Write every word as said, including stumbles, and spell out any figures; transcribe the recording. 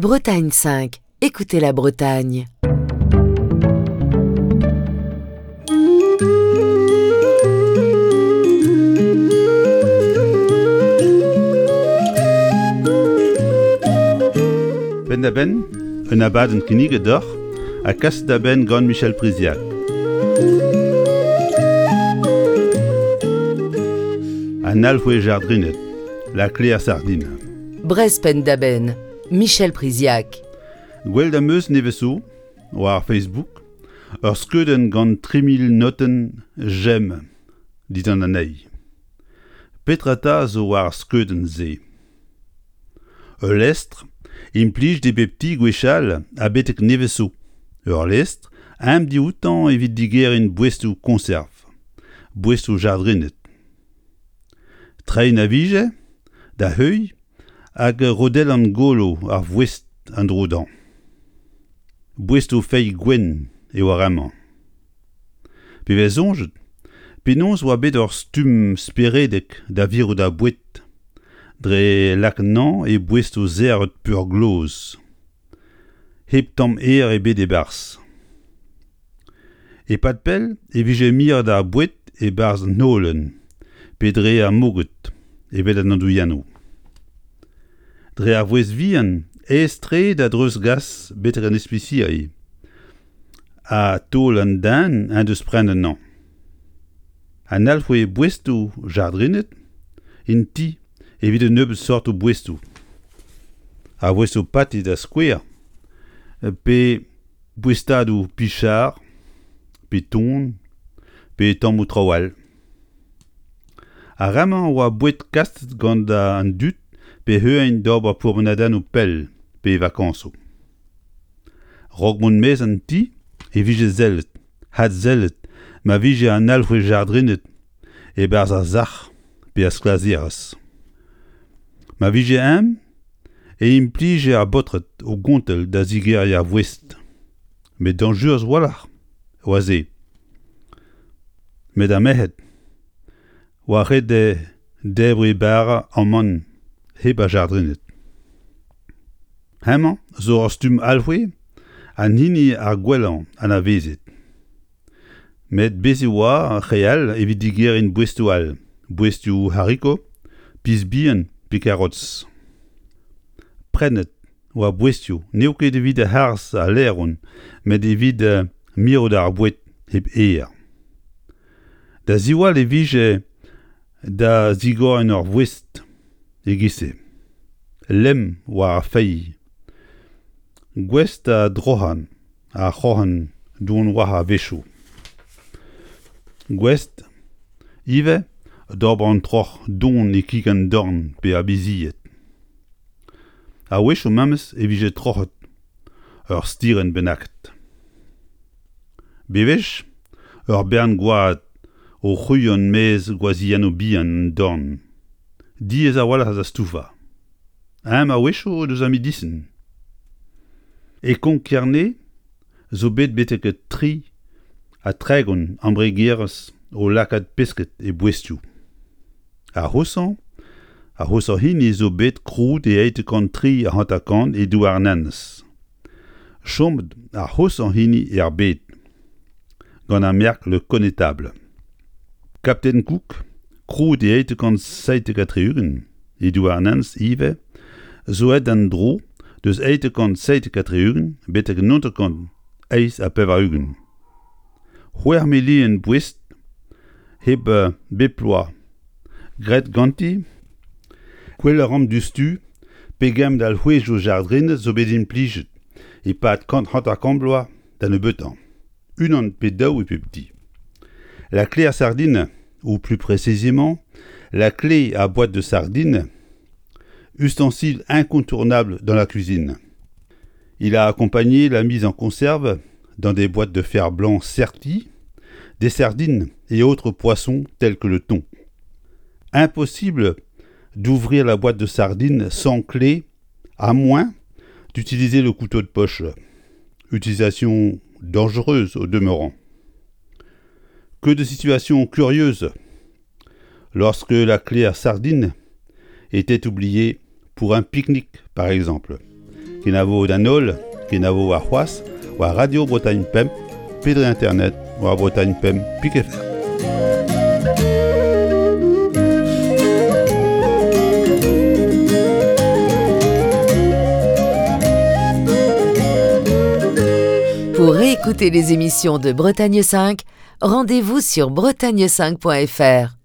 Bretagne cinq, écoutez la Bretagne. Penn-da-benn, un abadenn kinniget deoc'h ha kaset da benn gant Michel Priziac. An alc'hwez jardrined, la clé à sardine. Brest Penn-da-Benn, Michel Priziac. Gwelet am eus nevez zo, war Facebook, ur skeudenn gant tri mil notenn j'aime dindan anezhi. Petra 'ta zo war ar skeudenn-se? Ul lestr implij e bep ti gwechall ha betek nevez zo. Ur lestr eñ dioutañ evit digeriñ boestoù koñserv, boestoù jardrined. Treiñ a vije da heuilh hag rodellan golo ar voest en-dro dezhañ. Boestoù feilh gwenn eo ar re-mañ. Pe vez soñjet penaos oa bet ur stumm speredek da virout ar boued dre lakaat anezhañ e boestoù serret peurgloz, hep tamm aer ebet e-barzh. E-pad pell e vije miret ar boued e-barzh an holen pe dre ar moged evel an andouilhennoù. Dre ar voest vihan aes-tre da dreuzgas betek an ispisiri ha taol an den en deus prenet anezhañ. An alc'hwez boestoù jardrined int-i evit un nebeud seurtoù boestoù. Ar boestoù pati da skouer pe boestadoù pichar, pe ton, pe tammoù traoù all. Ar re-mañ a oa boued kaset gant an dud pe heuliañ d'ober pourmenadennoù pell pe vakañsoù. Raok mont maez an ti e vije sellet, adsellet ma vije an alc'hwez jardrined e-barzh ar sac'h pe ar sklaserez. Ma vije eñ e implije ar baotred o gontell da zigeriñ ar voest. Met dañjerus a-walc'h oa se. Met ar merc'hed oa ret dezhe debriñ bara amann hep ar jardrined. Hemañ zo ur stumm alc'hwez an hini ar gwellañ anavezet. Met bez' e oa re all evit digeriñ boestoù all, boestoù hariko, piz bihan pe karots. Prennet oa boestoù n'eo ket evit harz al laeron met evit mirout ar boued hep aer. Da ziwall e vije da zigoriñ ur voest e-giz-se. Lemm war ar feilh. Gouest da droc'hañ ar c'hroc'hen don war a-wechoù. Gouest ivez d'ober an troc'h don e kig an dorn pe ar bizied. A-wechoù memes e vije troc'het ur stirenn bennaket. Bewech ur bern gwad o c'hwriat maez gwazhiennoù bihan an dorn. Diaes a-walc'h da stouvañ. Eñ a-wechoù deus ar medisin. E Konk-Kerne zo bet betek tri ha tregont embregerezh o lakaat pesked e boestoù. Ar c'hoshañ, ar c'hoshañ hini zo bet krouet e eizh kant tri ha hanter-kant e Douarnenez. Chomet ar c'hoshañ hini er bed, gant ar merk Le Connétable. Captain Cook, krouet e eizh kant seitek ha tri-ugent e Douarnenez ivez, zo aet d'an dro deus eizh kant seitek ha tri-ugent betek naontek kant eizh ha pevar-ugent. C'hwec'h milion boest hep bep bloaz graet ganti gwell a ran diouzhtu pegement alc'hwezioù jardrined zo bet implijet e-pad kant hanter-kant bloaz da nebeutañ. Unan pe daou e pep ti. La clé à sardine, ou plus précisément, la clé à boîte de sardines, ustensile incontournable dans la cuisine. Il a accompagné la mise en conserve dans des boîtes de fer blanc serties, des sardines et autres poissons tels que le thon. Impossible d'ouvrir la boîte de sardines sans clé, à moins d'utiliser le couteau de poche. Utilisation dangereuse au demeurant. Que de situations curieuses lorsque la clé à sardines était oubliée pour un pique-nique par exemple. Kenavo d'an holl, kenavo warc'hoazh war Radio Bretagne Pemp, pe dre internet war Bretagne Pemp pik F R. Pour réécouter les émissions de Bretagne cinq, rendez-vous sur bretagne cinq point F R.